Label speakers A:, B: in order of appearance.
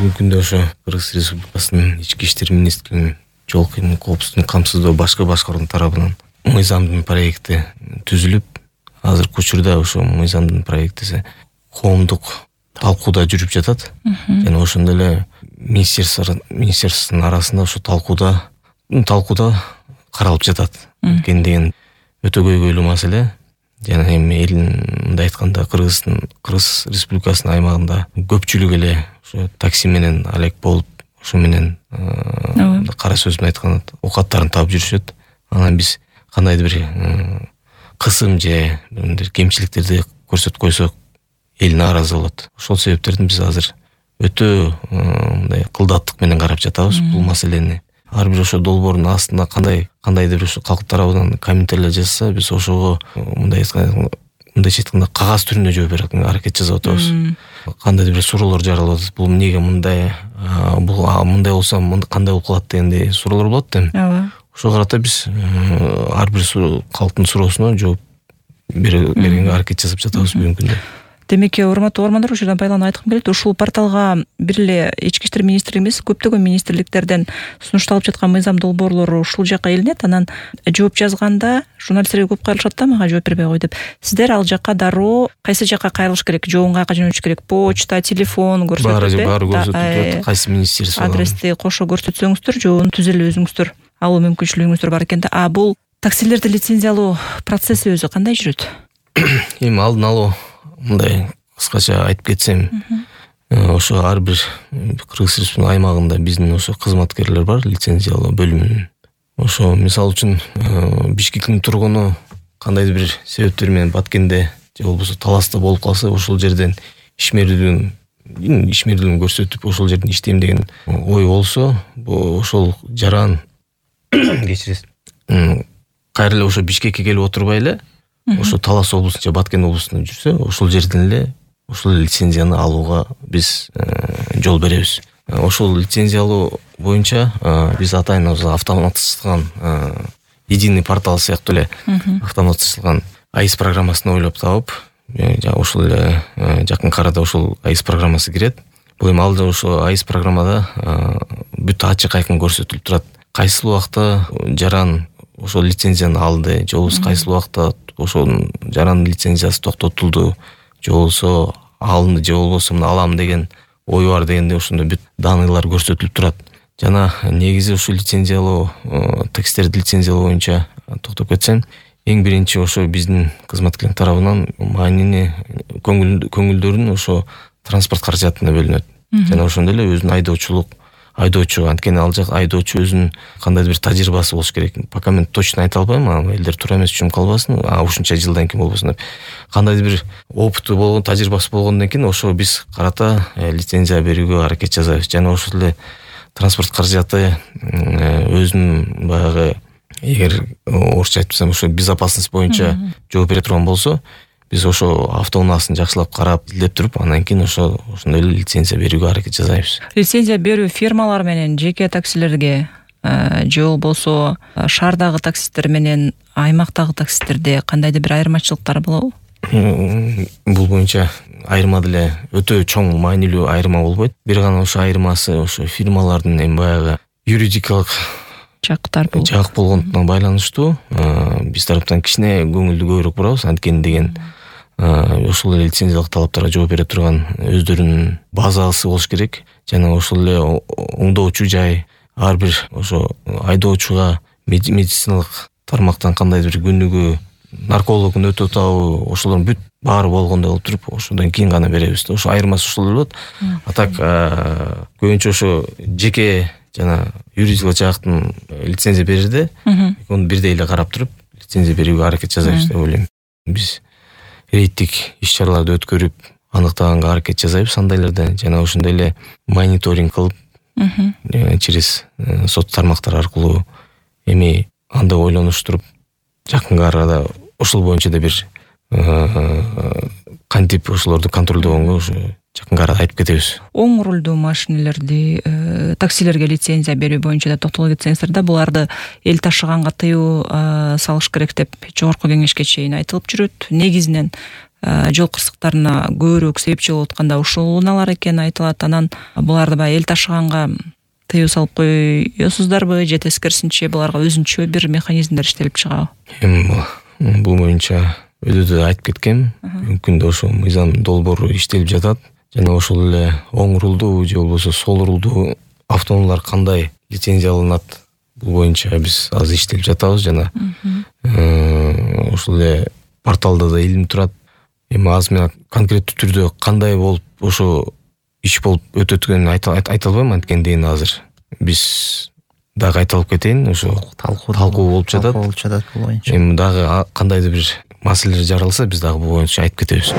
A: бүгүнкү күндө ошо Кыргыз Республикасынын ички иштер министрлигинин жол коопсуздугун камсыздоо башкы башкаруу тарабынан мыйзамдын проекти түзүлүп, азыркы учурда ошо мыйзамдын проектиси коомдук талкууда жүрүп жатат. Жана ошондой эле министерствонун арасында ошо талкууда каралып жатат. Экен деген өтө көйгөйлүү маселе. Жана эми мындай айтканда Кыргыз Республикасынын аймагында көпчүлүк эле ошо такси менен алек болуп, ошо менен кара сөз менен айтканда оокаттарын таап жүрүшөт. Анан биз кандайдыр бир кысым же мындай кемчиликтерди көрсөтүп койсок, эл нааразы болот. Ошол себептерден биз азыр өтө мындай кылдаттык менен карап жатабыз бул маселени. Ар бир ошо долбоордун астында кандайдыр бир ошо калк тарабынан комментарийлер жазса, биз ошого мындайча айтканда кагаз түрүндө жооп берүүгө аракет жасап атабыз. Кандайдыр бир суроолор жаралып атат. Бул эмнеге мындай, бул мындай болсо кандай болуп калат дегендей суроолор болот да. Ооба. Ошого карата биз ар бир калктын суроосуна жооп бергенге аракет жасап жатабыз бүгүнкү күндө.
B: Демек, урматтуу угармандар, ушул жерден байланып айткым келет. Ушул порталга бир эле ички иштер министрлиги эмес, көптөгөн министрликтерден сунушталып жаткан мыйзам долбоорлору ушул жака илинет. Анан жооп жазганда журналисттерге көп кайрылышат да, мага жооп бербей кой деп. Сиздер ал жака дароо кайсы жака кайрылыш керек? Жообун каяка жөнөтүш керек? Почта, телефон көрсөтүп,
A: баары көрсөтүлүп, кайсы министерство
B: адрести кошо көрсөтсөңүздөр, жообун түзө эле өзүңүздөр алуу мүмкүнчүлүгүңүздөр бар экен да. Бул таксилерди лицензиялоо процесси өзү кандай жүрөт?
A: Эми алдын алуу мындай кыскача айтып кетсем, ошо ар бир Кыргыз Республикасынын аймагында биздин ошо кызматкерлер бар, лицензиялоо бөлүмүнүн. Ошо мисалы үчүн Бишкектин тургуну кандайдыр бир себептер менен Баткенде же болбосо Таласта болуп калса, ошол жерден ишмердүүлүгүн көрсөтүп, ошол жерден иштейм деген ой болсо, ошол жаран кечиресиз. Кайра эле ошо Бишкекке келип отурбай эле, ошо Талас облусунда же Баткен облусунда жүрсө, ошол жерден эле ошол лицензияны алууга биз жол беребиз. Ошол лицензиялоо боюнча биз атайын автоматташтырган единый портал сыяктуу эле автоматташтырган АИС программасын ойлоп таап, ошол эле жакын арада ошол АИС программасы кирет. Бул эми алда ошо АИС программада бүт ачык айкын көрсөтүлүп турат. Кайсы убакта жаран ошол лицензияны алды, же болбосо кайсы убакта ошонун жарандын лицензиясы токтотулду, же болбосо алынды, же болбосо мына алам деген ой бар дегенде ошондой бүт даныйлар көрсөтүлүп турат. Жана негизи ушул лицензиялоо, таксистерди лицензиялоо боюнча токтоп кетсем, эң биринчи ошо биздин кызматкерлер тарабынан маанини көңүлдөрүн ошо транспорт каражатына бөлүнөт. Жана ошондой эле өзүнүн айдоочу, анткени ал жак айдоочу өзүнүн кандайдыр бир тажрыйбасы болуш керек. Пока мен точно айта албайм, элдер туура эмес түшүнүп калбасын, ушунча жылдан кийин болбосун деп. Кандайдыр бир опыту болгон, тажрыйбасы болгондон кийин ошо биз карата лицензия берүүгө аракет жасайбыз. Жана ошол эле транспорт каражаты өзүнүн баягы, эгер орусча айтсам, ошо безопасность боюнча жооп бере турган болсо, биз ошо автоунаасын жакшылап карап, изилдеп туруп, андан кийин ошондой эле лицензия берүүгө аракет жасайбыз.
B: Лицензия берүү фирмалар менен жеке таксилерге же болбосо шаардагы таксисттер менен аймактагы таксисттерде кандайдыр бир айырмачылыктар болобу?
A: Бул боюнча айырма деле өтө чоң маанилүү айырма болбойт. Бир гана ошо айырмасы ошо фирмалардын эми баягы юридикалык жак болгондуна байланыштуу. Биз тараптан кичине көңүлдү көбүрөөк бурабыз, анткени деген ошол эле лицензиялык талаптарга жооп бере турган өздөрүнүн базасы болуш керек. Жана ошол эле оңдоочу жай, ар бир ошо айдоочуга медициналык тармактан кандайдыр бир күнүгү наркологун өтө табы, ошолордун бүт баары болгондой болуп туруп, ошондон кийин гана беребиз. Ошо айырмасы ошол эле болот. А так көбүнчө ошо жеке жана юридикалык жактын лицензия берирде аны бирдей эле карап туруп, лицензия берүүгө аракет жасайбыз деп ойлойм. Биз рейдтик иш-чараларды өткөрүп, аныктаганга аракет жасайбыз андайларда, жана ошондой эле мониторинг кылып, через сот тармактар аркылуу эми анда ойлонуштуруп, жакынкы арада ошол боюнча да бир кантип ошолорду контролдогонго ошо жакынкы арада айтып кетебиз.
B: Оң рулдуу машинелерди, таксилерге лицензия берүү боюнча да токтоло кетсеңиздер да, буларды эл ташыганга тыюу салыш керек деп жогорку кеңешке чейин айтылып жүрөт. Негизинен жол кырсыктарына көбүрөөк себепчи болуп атканда ушул унаалар экени айтылат. Анан буларды баягы эл ташыганга тыюу салып коесуздарбы же тескерисинче буларга өзүнчө бир механизмдер иштелип чыгабы?
A: Эми бул боюнча өзү айтып кеткем. Бүгүнкү күндө ошо мыйзам долбоору иштелип жатат. Жана ошол эле оң рулдуу же болбосо сол рулдуу автоунаалар кандай лицензия алынат, бул боюнча биз азыр иштелип жатабыз. Жана ошол эле порталда да илим турат. Эми азыр мен конкреттүү түрдө кандай болуп ошо иш болуп өтөт экенин айта албайм. Анткени азыр биз дагы кайталап кетейин, ошо талкуу болуп жатат бул боюнча. Эми дагы кандайдыр бир маселелер жаралса биз дагы бул боюнча айтып кетебиз.